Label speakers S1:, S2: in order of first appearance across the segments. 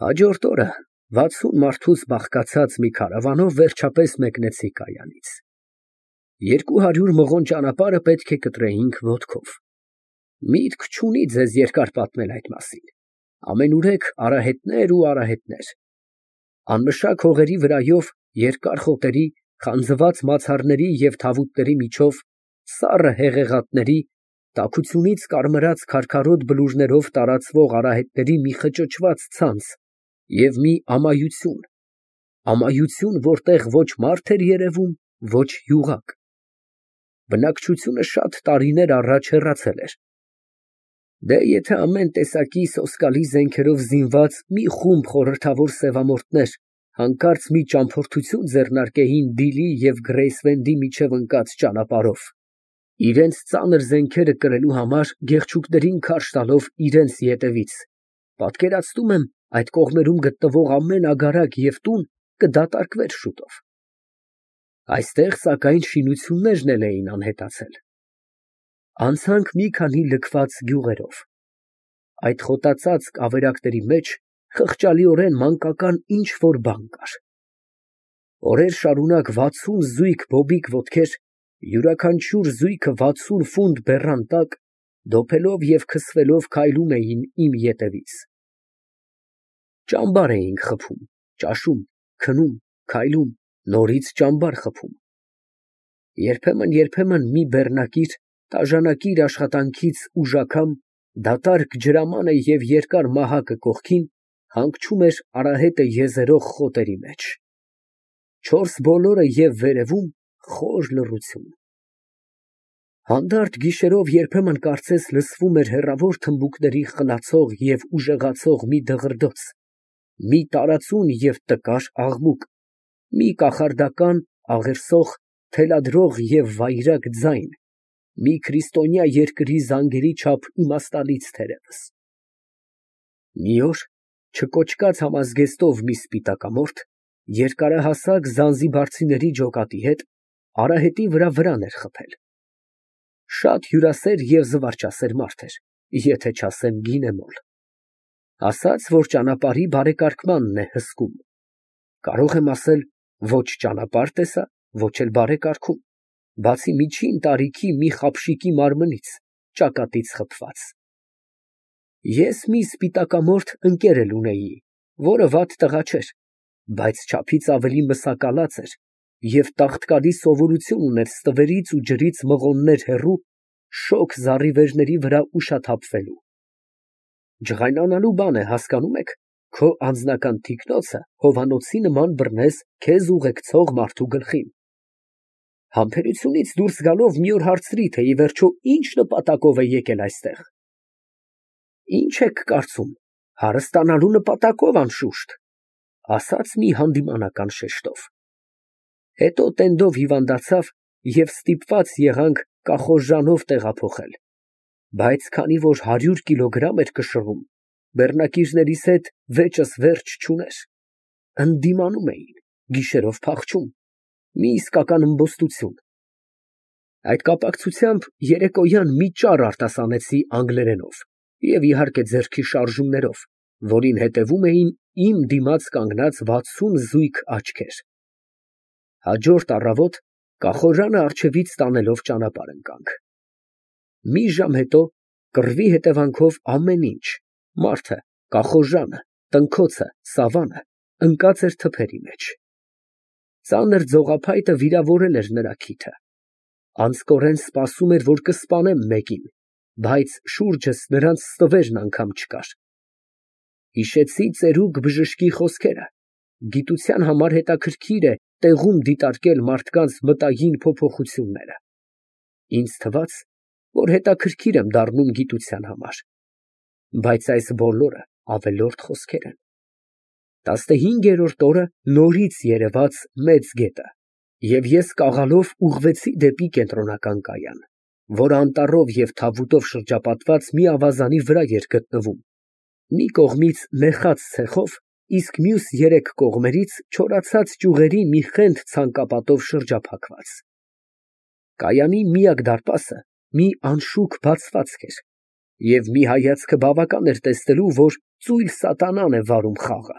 S1: Հաջորդ օրը 60 մարդուց բաղկացած մի քարավանով վերջապես մեկնեցի կայանից։ 200 մղոն ճանապարհը պետք է կտրեինք ոտքով։ Միտք չունի ձեզ երկար պատմել այդ մասին, ամենուրեք արահետներ ու արահետներ։ Անմշակ հողերի վրայով երկար խոտերի, խանձված մացառների և թավուտների միջով, սառը հեղեղատների, տաքությունից կարմրած քարքարոտ բլուրներով տարածվող արահետների մի խճճված ցանց և մի ամայություն, որտեղ ոչ մարդ էր երևում, ոչ յուղակ։ Բնակչությունը շատ տարիներ առաջ հեռացել էր։ Դե եթե ամեն տեսակի սոսկալի զենքերով զինված մի խումբ խորհրդավոր սևամորթներ հանկարծ մի ճամփորդություն ձեռնարկեին Դիլի և Գրեյսվենդի միջև ընկած ճանապարհով, իրենց ծանր զենքերը կրելու համար գեղչուկներին քարշ տալով իրենց ետևից, պատկերացնում եմ, այդ կողմերում գտնվող ամեն ագարակ և տուն կդատարկվեր շուտով։ Այստեղ, սակայն, շինություններն էլ էին անհետացել։ Անցանք մի քանի լքված գյուղերով։ Այդ խոտածածկ ավերակների մեջ խղճալիորեն մանկական ինչ֊որ բան կար։ Օրեր շարունակ 60 զույգ բոբիկ ոտքեր, յուրաքանչյուր զույգը 60 ֆունտ բեռան տակ, դոփելով և քսվելով քայլում էին իմ ետևից։ Ճամբար էինք խփում, ճաշում, քնում, քայլում, նորից ճամբար խփում։ Երբեմն մի բեռնակիր, տաժանակիր աշխատանքից ուժ անգամ, դատարկ ջրամանը և երկար մահակը կողքին, հանգչում էր արահետը եզերող խոտերի մեջ։ Չորս բոլորը և վերևում խոր լռություն։ Հանդարտ գիշերով երբեմն կարծես լսվում էր հեռավոր թմբուկների խլացող և ուժեղացող մի դղրդոց, մի տարածուն և տկար աղմուկ, մի կախարդական, աղերսող, թելադրող և վայրագ ձայն, մի քրիստոնյա երկրի զանգերի չափ իմաստալից թերևս։ Մի օր չկոճկած համազգեստով մի սպիտակամորթ, երկարահասակ զանզիբարցիների ջոկատի հետ արահետի վրան էր խփել։ Շատ հյուրասեր և զվարճասեր մարդ էր, եթե չասեմ գինեմոլ։ Ասաց, որ ճանապարհի բարեկարգմանն է հսկում։ Կարող եմ ասել, ոչ ճանապարհ տեսա, ոչ էլ բարեկարգում, բացի միջին տարիքի մի խապշիկի մարմնից, ճակատից խփված։ Ես մի սպիտակամորթ ընկեր էլ ունեի, որը վատ տղա չէր, բայց չափից ավելի մսակալած էր և տաղտկալի սովորություն ուներ ստվերից ու ջրից մղոններ հեռու, շոգ զառիվերների վրա ուշաթափվելու։ Ջղայնանալու բան է, հասկանում եք, քո անձնական թիկնոցը հովանոցի նման բռնես քեզ ուղեկցող մարդու գլխին։ Համբերությունից դուրս գալով մի օր հարցրի, թե ի վերջո ինչ նպատակով է եկել այստեղ։ Ինչ եք կարծում, հարստանալու նպատակով, անշուշտ, ասաց մի հանդիմանական շեշտով։ Հետո տենդով հիվանդացավ և ստիպված եղանք կախորժանով տեղափոխել, բայց քանի որ 100 կիլոգրամ էր կշռում, բեռնակիցներիս հետ վեճս վերջ չուներ, ընդդիմանում էին, գիշերով փախչում, մի իսկական ըմբոստություն։ Այդ կապակցությամբ երեկոյան մի ճառ արտասանեցի անգլերենով և իհարկե ձեռքի շարժումներով, որին հետևում էին իմ դիմաց կանգնած 60 զույգ աչքեր։ Հաջորդ առավոտ կախորժանը առջևից տանելով ճանապարհ ընկանք։ Մի ժամ հետո կռվի հետևանքով ամեն ինչ, մարդը, կախորժանը, տնքոցը, սավանը ընկած էր թփերի մեջ։ Ծանր ձողափայտը վիրավորել էր նրա քիթը։ Անձկորեն սպասում էր, որ կսպանեմ մեկին, բայց շուրջս նրանց ստվերն անգամ չկար։ Հիշեցի ծերուկ բժշկի խոսքերը. գիտության համար հետաքրքիր է տեղում դիտարկել մարդկանց մտային փոփոխությունները։ Ինձ թվաց, որ հետաքրքիր եմ դառնում գիտության համար, բայց այս բոլորը ավելորդ խոսքեր են։ 15-րդ օրը նորից երևաց մեծ գետը, և ես կաղալով ուղղվեցի դեպի կենտրոնական կայան, որը անտառով և թավուտով շրջապատված մի ավազանի վրա էր գտնվում, մի կողմից նեխած ցեխով, իսկ մյուս երեք կողմերից չորացած ճյուղերի մի խենթ ցանկապատով շրջափակված։ Կայանի միակ դարպասը մի անշուք բացվածք էր, և մի հայացքը բավական էր տեսնելու, որ ծույլ սատանան է վարում խաղը։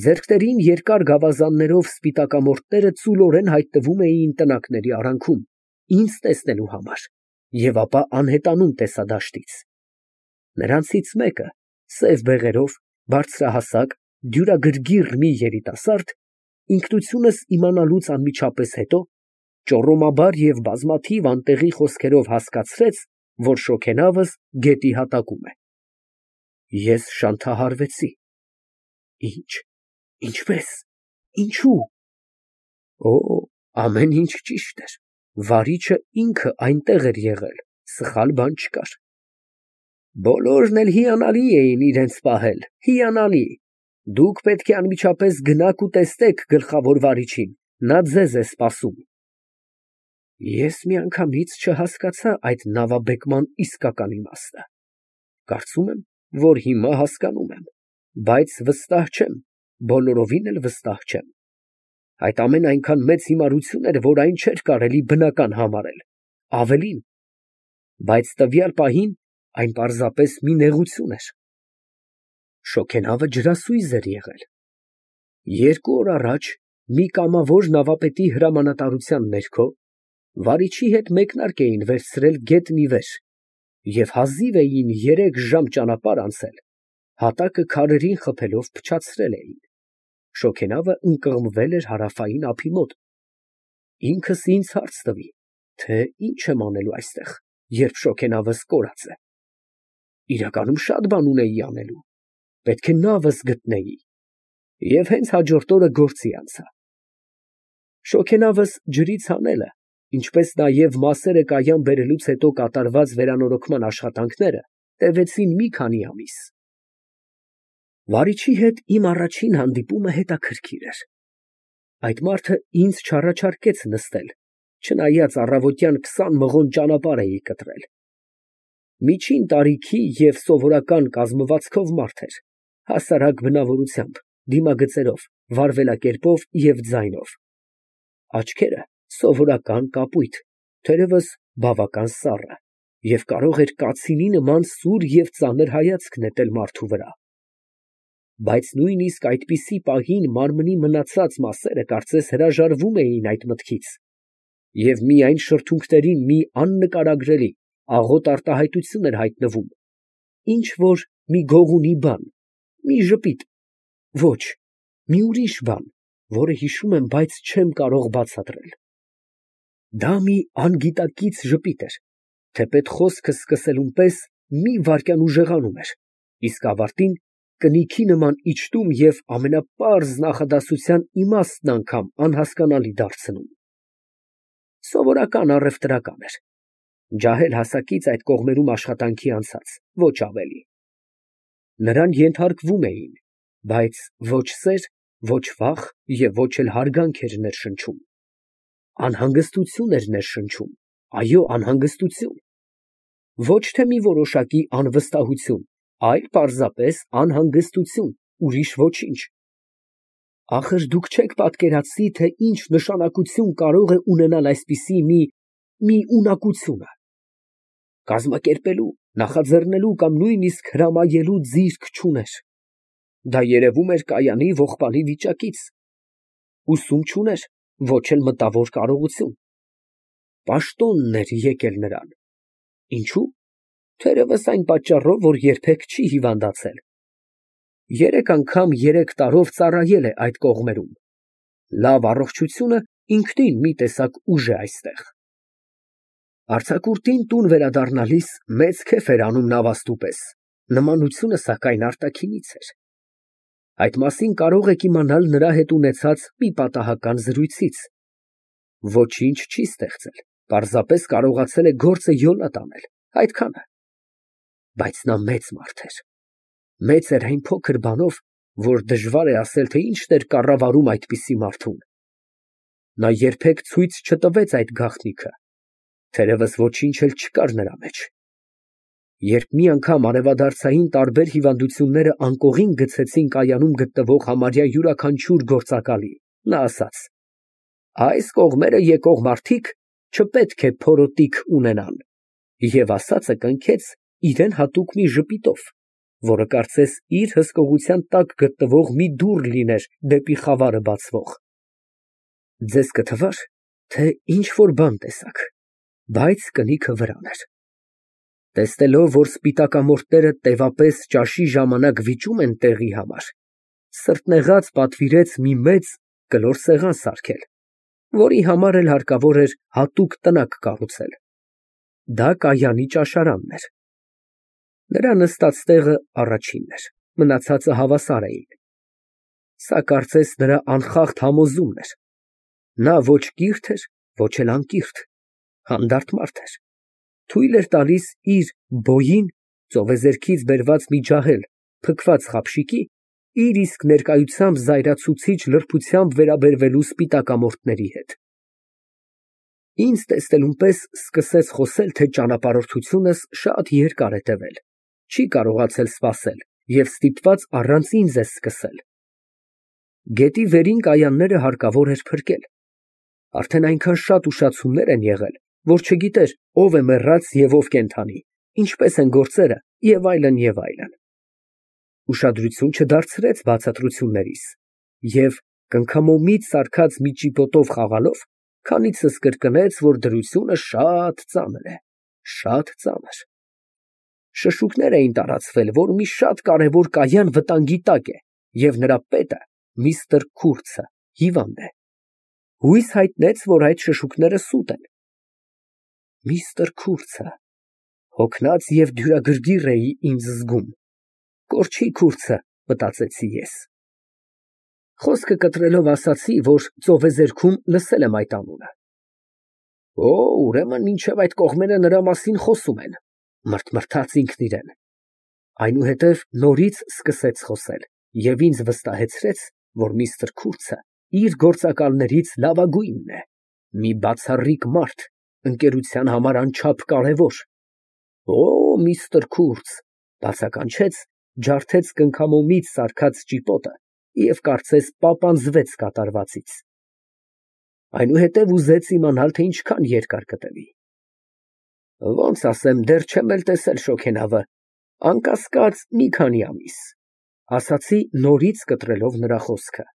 S1: Ձեռքներին երկար գավազաններով սպիտակամորթները ծուլորեն հայտնվում էին տնակների արանքում, ինձ տեսնելու համար, և ապա անհետանում տեսադաշտից։ Նրանցից մեկը, սև բեղերով, բարձրահասակ, դյուրագրգիռ մի երիտասարդ, ինքնությունս իմանալուց անմիջապես հետո, ճոռոմաբար և բազմաթիվ անտեղի խոսքերով հասկացրեց, որ շոգենավս գետի հատակում է։ Ես շանթահարվեցի։ Ի՞նչ, ինչպե՞ս, ինչո՞ւ։ Օ, ամեն ինչ ճիշտ էր, վարիչը ինքը այնտեղ էր եղել, սխալ բան չկար։ Բոլորն էլ հիանալի էին իրենց պահել, հիանալի։ Դուք պետք է անմիջապես գնաք ու տեսնեք գլխավոր վարիչին, նա ձեզ է սպասում։ Ես միանգամից չհասկացա այդ նավաբեկման իսկական իմաստը։ Կարծում եմ, որ հիմա հասկանում եմ, բայց վստահ չեմ, բոլորովին էլ վստահ չեմ։ Այդ ամենն այնքան մեծ հիմարություն էր, որ այն չէր կարելի բնական համարել, ավելին, բայց տվյալ պահին այն պարզապես մի նեղություն էր։ Շոգենավը ջրասույզ էր եղել։ 2 օր առաջ մի կամավոր նավապետի հրամանատարության ներքո վարիչի հետ մեկնարկ էին վերցրել գետն ի վեր և հազիվ էին 3 ժամ ճանապարհ անցել, հատակը քարերին խփելով փչացրել էին։ Շոգենավը ընկղմվել էր հարավային ափի մոտ։ Ինքս ինձ հարց տվի, թե ինչ եմ անելու այստեղ, երբ շոգենավս կորած է։ Իրականում շատ բան ունեի անելու, պետք է նավս գտնեի, և հենց հաջորդ օրը գործի անցա։ Շոգենավս ջրից հանելը, ինչպես նաև մասերը կայան բերելուց հետո կատարված վերանորոգման աշխատանքները տևեցին մի քանի ամիս։ Վարիչի հետ իմ առաջին հանդիպումը հետաքրքիր էր։ Այդ մարդը ինձ չառաջարկեց նստել, չնայած առավոտյան 20 մղոն ճանապարհ էի կտրել։ Միջին տարիքի և սովորական կազմվածքով մարդ էր, հասարակ բնավորությամբ, դիմագծերով, վարվելակերպով և ձայնով։ Աչքերը սովորական կապույտ, թերևս բավական սառը, և կարող էր կացինի նման սուր և ծանր հայացք նետել մարդու վրա։ Բայց նույնիսկ այդպիսի պահին մարմնի մնացած մասերը կարծես հրաժարվում էին այդ մտքից, և միայն շրթունքներին մի աննկարագրելի, աղոտ արտահայտություն էր հայտնվում, ինչ որ մի գողունի բան, մի ժպիտ, ոչ, մի ուրիշ բան, որը հիշում եմ, բայց չեմ կարող բացատրել։ Դա մի անգիտակից ժպիտ էր, թեպետ խոսքը սկսելուն պես մի վայրկյան ուժեղանում էր, իսկ ավարտին կնիքի նման իջտում և ամենապարզ նախադասության իմաստն անգամ անհասկանալի դարձնում։ Սովորական առևտրական էր, ջահել հասակից այդ կողմերում աշխատանքի անցած, ոչ ավելի։ Նրան ենթարկվում էին, բայց ոչ սեր, ոչ վախ և ոչ էլ հարգանք էր ներշնչում։ Անհանգստություն էր ներշնչում, այո, անհանգստություն։ Ոչ թե մի որոշակի անվստահություն, այլ պարզապես անհանգստություն, ուրիշ ոչինչ։ Ախր դուք չեք պատկերացնի, թե ինչ նշանակություն կարող է ունենալ այսպիսի մի ունակությունը։ Կազմակերպելու, նախաձեռնելու կամ նույնիսկ հրամայելու ձիրք չուներ։ Դա երևում էր կայանի ողբալի վիճակից։ Ուսում չուներ, ոչ էլ մտավոր կարողություն։ Պաշտոնն էր եկել նրան։ Ինչո՞ւ։ Թերևս այն պատճառով, որ երբեք չի հիվանդացել։ 3 անգամ 3 տարով ծառայել է այդ կողմերում։ Լավ առողջությունը ինքնին մի տեսակ ուժ է այստեղ։ Արձակուրդին տուն վերադառնալիս մեծ քեֆ էր անում նավաստու պես, նմանությունը, սակայն, արտաքինից էր։ Այդ մասին կարող եք իմանալ նրա հետ ունեցած մի պատահական զրույցից։ Ոչինչ չի ստեղծել, պարզապես կարողացել է գործը յոլա տանել, այդքանը։ Բայց նա մեծ մարդ էր։ Մեծ էր այն փոքր բանով, որ դժվար է ասել, թե ինչն էր կառավարում այդպիսի մարդուն։ Նա երբեք ցույց չտվեց այդ գաղտնիքը, թերևս ոչինչ էլ չկար նրա մեջ։ Երբ մի անգամ արևադարձային տարբեր հիվանդությունները անկողին գցեցին կայանում գտնվող համարյա յուրաքանչյուր գործակալի, նա ասաց. «Այս կողմերը եկող մարդիկ չպետք է փորոտիք ունենան», և ասածը կնքեց իրան հատուկ մի ժպիտով, որը կարծես իր հսկողության տակ գտնվող մի դուռ լիներ դեպի խավարը բացվող։ Ձեզ կթվար, թե ինչ֊որ բան տեսաք, բայց կնիքը վրան էր։ Տեսնելով, որ սպիտակամորթները տևապես ճաշի ժամանակ վիճում են տեղի համար, սրտնեղած պատվիրեց մի մեծ կլոր սեղան սարքել, որի համար էլ հարկավոր էր հատուկ տնակ կառուցել։ Դա կայանի ճաշարանն էր։ Նրա նստած տեղը առաջինն էր, մնացածը հավասար էին։ Սա կարծես նրա անխախտ համոզումն էր։ Նա ոչ կիրթ էր, ոչ էլ անկիրթ, հանդարտ մարդ էր։ Թույլ էր տալիս իր բոյին ծովեզերքից բերված մի ջահել փքված խապշիկի իր իսկ ներկայությամբ զայրացուցիչ լրբությամբ վերաբերվելու սպիտակամորթների հետ։ Ինձ տեսնելուն պես սկսեց խոսել, թե ճանապարհորդությունս շատ երկար է տևել, չի կարողացել սպասել և ստիպված առանց ինձ է սկսել։ Գետի վերին կայանները հարկավոր էր փրկել։ Արդեն այնքան շատ ուշացումներ են եղել, որ չգիտեր ով է մեռած և ով կենդանի, ինչպես են գործերը և այլն, և այլն։ Ուշադրություն չդարձրեց բացատրություններիս և կնքամոմից սարքած մի ճիպոտով խաղալով քանիցս կրկնեց, որ դրությունը շատ ծանր է, շատ ծանր։ Շշուկներ էին տարածվել, որ մի շատ կարևոր կայան վտանգի տակ է, և նրա պետը միստր Քուրցը հիվանդ է։ Հույս հայտնեց, որ այդ շշուկները սուտ են։ Միստր Քուրցը, հոգնած և դյուրագրգիռ էի ինձ զգում։ Կորչի Քուրցը, մտածեցի ես։ Խոսքը կտրելով ասացի, որ ծովեզերքում լսել եմ այդ անունը։ Օ, ուրեմն մինչև այդ կողմերը նրա մասին խոսում են, մրթմրթաց ինքն իրեն։ Այնուհետև նորից սկսեց խոսել և ինձ վստահեցրեց, որ միստր Քուրցը իր գործակալներից լավագույնն է, մի բացառիկ մարդ, ընկերության համար անչափ կարևոր։ Օ, միստր Քուրց, բացականչեց, ջարդեց կնքամոմից սարքած ճիպոտը և կարծես պապանձվեց կատարվածից։ Այնուհետև ուզեց իմանալ, թե ինչքան երկար կտևի։ Ոնց ասեմ, դեռ չեմ էլ տեսել շոգենավը, անկասկած մի քանի ամիս, ասացի նորից կտրելով նրա խոսքը։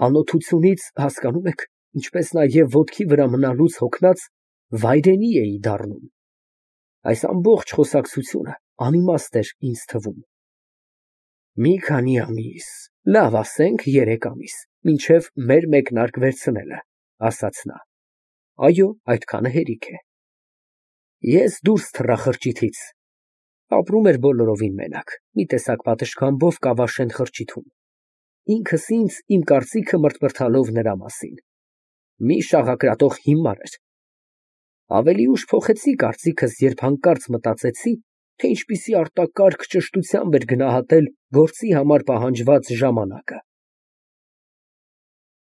S1: Անօթությունից, հասկանում եք, ինչպես նաև ոտքի վրա մնալուց հոգնած, վայրենի էի դառնում։ Այս ամբողջ խոսակցությունը անիմաստ էր ինձ թվում։ Մի քանի ամիս, լավ ասենք 3 ամիս, մինչև մեր մեկնարկ վերցնելը, ասաց նա։ Այո, այդքանը հերիք է։ Ես դուրս թռա խրճիթից։ Ապրում էր բոլորովին մենակ, մի տեսակ պատշգամբով Կավաշեն խրճիթում։ Ինքս ինձ իմ կարծիքը մրթմրթալով նրա մասին։ Մի շաղակրատող հիմար էր։ Ավելի ուշ փոխեցի կարծիքս, երբ հանկարծ մտածեցի, թե ինչպիսի արտակարգ ճշտությամբ էր գնահատել գործի համար պահանջված ժամանակը։